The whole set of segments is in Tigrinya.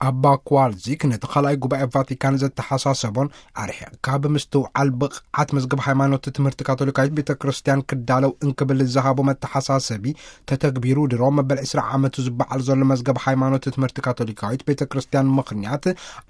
ኣባ ኮዋልዚክ ነቲ ካልኣይ ጉባኤ ቫቲካን ዘተሓሳሰቦን ኣርሒቕካ ብምስትውዓል ብቕዓት መዝገብ ሃይማኖት ትምህርቲ ካቶሊካዊት ቤተ ክርስቲያን ክዳለው እንክብል ዝሃቦ መተሓሳሰቢ ተተግቢሩ ድሮ መበል ዕስራ ዓመቱ ዝበዓል ዘሎ መዝገብ ሃይማኖት ትምህርቲ ካቶሊካዊት ቤተ ክርስቲያን ምኽንያት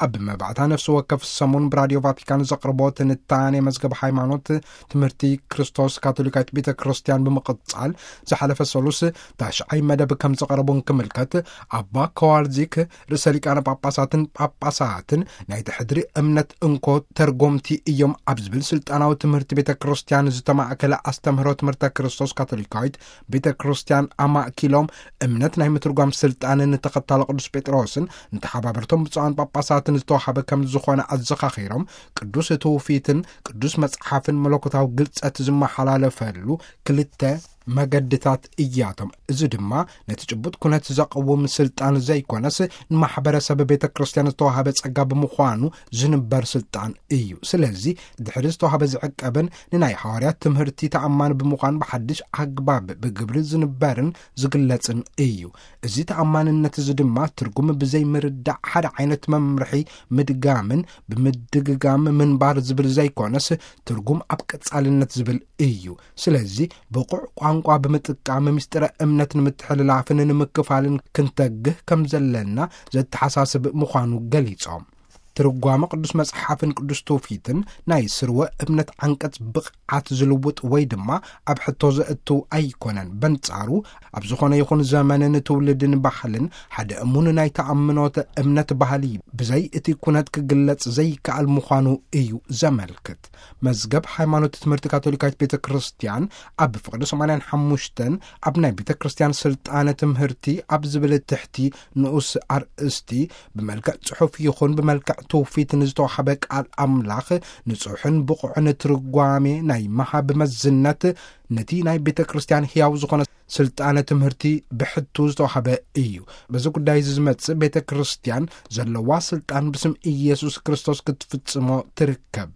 ኣብ መባእታ ነፍሲ ወከፍ ሰሙን ብራድዮ ቫቲካን ዘቕርቦ ትንታኔ መዝገብ ሃይማኖት ትምህርቲ ክርስቶስ ካቶሊካዊት ቤተ ክርስቲያን ብምቕጻል ዝሓለፈ ሰሉስ ታሽዓይ መደብ ከም ዘቕረቡ እንክምልከት ኣባ ኮዋልዚክ ርእሰ ሊቃነ ጳጳሳትን ጳጳሳትን ናይቲ ሕድሪ እምነት እንኮ ተርጎምቲ እዮም ኣብ ዝብል ስልጣናዊ ትምህርቲ ቤተ ክርስቲያን ዝተማእከለ ኣስተምህሮ ትምህርተ ክርስቶስ ካቶሊካዊት ቤተ ክርስቲያን ኣማእኪሎም እምነት ናይ ምትርጓም ስልጣን ንተኸታሎ ቅዱስ ጴጥሮስን ንተሓባበርቶም ብፁዓን ጳጳሳትን ዝተዋሃበ ከም ዝኾነ ኣዘኻኺሮም ቅዱስ ትውፊትን ቅዱስ መጽሓፍን መለኮታዊ ግልጸት ዝመሓላለፈሉ ክልተ መገድታት እያቶም። እዚ ድማ ነቲ ጭቡጥ ኩነት ዘቕውም ስልጣን ዘይኮነስ ንማሕበረሰብ ቤተ ክርስቲያን ዝተዋሃበ ጸጋ ብምዃኑ ዝንበር ስልጣን እዩ። ስለዚ ድሕሪ ዝተዋሃበ ዝዕቀብን ንናይ ሃዋርያት ትምህርቲ ተኣማኒ ብምዃን ብሓድሽ ኣግባብ ብግብሪ ዝንበርን ዝግለጽን እዩ። እዚ ተኣማንነት እዚ ድማ ትርጉም ብዘይ ምርዳእ ሓደ ዓይነት መምርሒ ምድጋምን ብምድግጋም ምንባር ዝብል ዘይኮነስ ትርጉም ኣብ ቀጻልነት ዝብል እዩ። ስለዚ ብቑዕ ቋንቋ ብምጥቃም ምስጢረ እምነት ንምትሕልላፍን ንምክፋልን ክንተግህ ከም ዘለና ዘተሓሳስብ ምዃኑ ገሊጾም። ትርጓመ ቅዱስ መጽሓፍን ቅዱስ ትውፊትን ናይ ስርወ እምነት ዓንቀጽ ብቕዓት ዝልውጥ ወይ ድማ ኣብ ሕቶ ዘእቱ ኣይኮነን። በንጻሩ ኣብ ዝኾነ ይኹን ዘመንን ትውልድን ባህልን ሓደ እሙን ናይ ተኣምኖተ እምነት ባህሊ ብዘይ እቲ ኩነት ክግለጽ ዘይከኣል ምዃኑ እዩ ዘመልክት። መዝገብ ሃይማኖት ትምህርቲ ካቶሊካዊት ቤተ ክርስቲያን ኣብ ፍቕዲ ሰማንያን ሓሙሽተን ኣብ ናይ ቤተ ክርስቲያን ስልጣነ ትምህርቲ ኣብ ዝብል ትሕቲ ንኡስ ኣርእስቲ ብመልክዕ ጽሑፍ ይኹን ብመልክዕ ትውፊት ንዝተዋህበ ቃል ኣምላኽ ንጹሕን ብቑዕን ትርጓሜ ናይ መሃብ መዝነት ነቲ ናይ ቤተ ክርስቲያን ሕያው ዝኾነ ስልጣነ ትምህርቲ ብሕቱ ዝተዋህበ እዩ። በዚ ጉዳይ እዚ ዝመጽእ ቤተ ክርስቲያን ዘለዋ ስልጣን ብስም ኢየሱስ ክርስቶስ ክትፍጽሞ ትርከብ።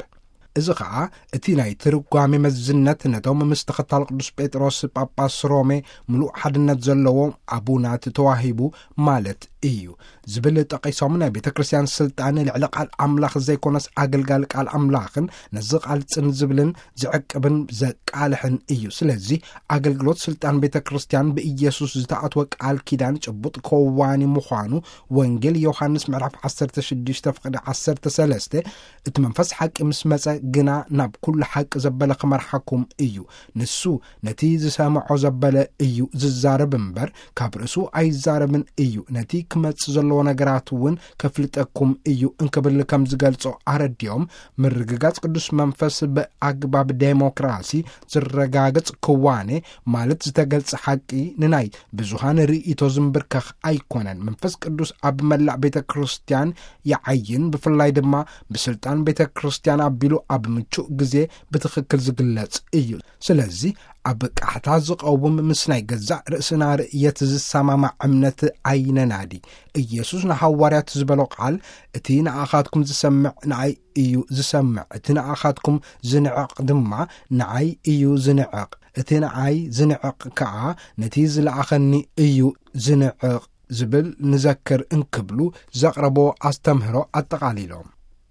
እዚ ኸኣ እቲ ናይ ትርጓሜ መዝነት ነቶም ምስ ተኸታል ቅዱስ ጴጥሮስ ጳጳስ ሮሜ ምሉእ ሓድነት ዘለዎም ኣቡናት ተዋሂቡ ማለት እዩ ዝብል ጠቒሶም፣ ናይ ቤተ ክርስቲያን ስልጣን ልዕሊ ቃል ኣምላኽ ዘይኮነስ ኣገልጋሊ ቃል ኣምላኽን ነዚ ቃል ጽን ዝብልን ዝዕቅብን ዘቃልሕን እዩ። ስለዚ ኣገልግሎት ስልጣን ቤተ ክርስቲያን ብኢየሱስ ዝተኣትወ ቃል ኪዳን ጭቡጥ ከዋኒ ምዃኑ ወንጌል ዮሃንስ ምዕራፍ ዓሰርተ ሽዱሽተ ፍቕዲ ዓሰርተ ሰለስተ፣ እቲ መንፈስ ሓቂ ምስ መጸ ግና ናብ ኩሉ ሓቂ ዘበለ ክመርሓኩም እዩ። ንሱ ነቲ ዝሰምዖ ዘበለ እዩ ዝዛረብ እምበር፣ ካብ ርእሱ ኣይዛረብን እዩ። ነቲ ክመጽእ ዘለዎ ነገራት እውን ከፍልጠኩም እዩ እንክብል ከም ዝገልጾ ኣረዲኦም፣ ምርግጋጽ ቅዱስ መንፈስ ብኣግባብ ዴሞክራሲ ዝረጋገጽ ክዋኔ ማለት ዝተገልጸ ሓቂ ንናይ ብዙሃን ርእይቶ ዝምብርከኽ ኣይኮነን። መንፈስ ቅዱስ ኣብ መላእ ቤተ ክርስቲያን ይዓይን፣ ብፍላይ ድማ ብስልጣን ቤተ ክርስቲያን ኣቢሉ ኣብ ምቹእ ግዜ ብትኽክል ዝግለጽ እዩ። ስለዚ ኣብ ቃሕታ ዝቐውም ምስ ናይ ገዛእ ርእስና ርእየት ዝሰማማዕ እምነት ኣይነናዲ። ኢየሱስ ንሃዋርያት ዝበሎ ቃል፣ "እቲ ንኣኻትኩም ዝሰምዕ ንኣይ እዩ ዝሰምዕ፣ እቲ ንኣኻትኩም ዝንዕቕ ድማ ንኣይ እዩ ዝንዕቕ፣ እቲ ንኣይ ዝንዕቕ ከኣ ነቲ ዝለኣኸኒ እዩ ዝንዕቕ" ዝብል ንዘክር እንክብሉ ዘቕረቦ ኣስተምህሮ ኣጠቓሊሎም።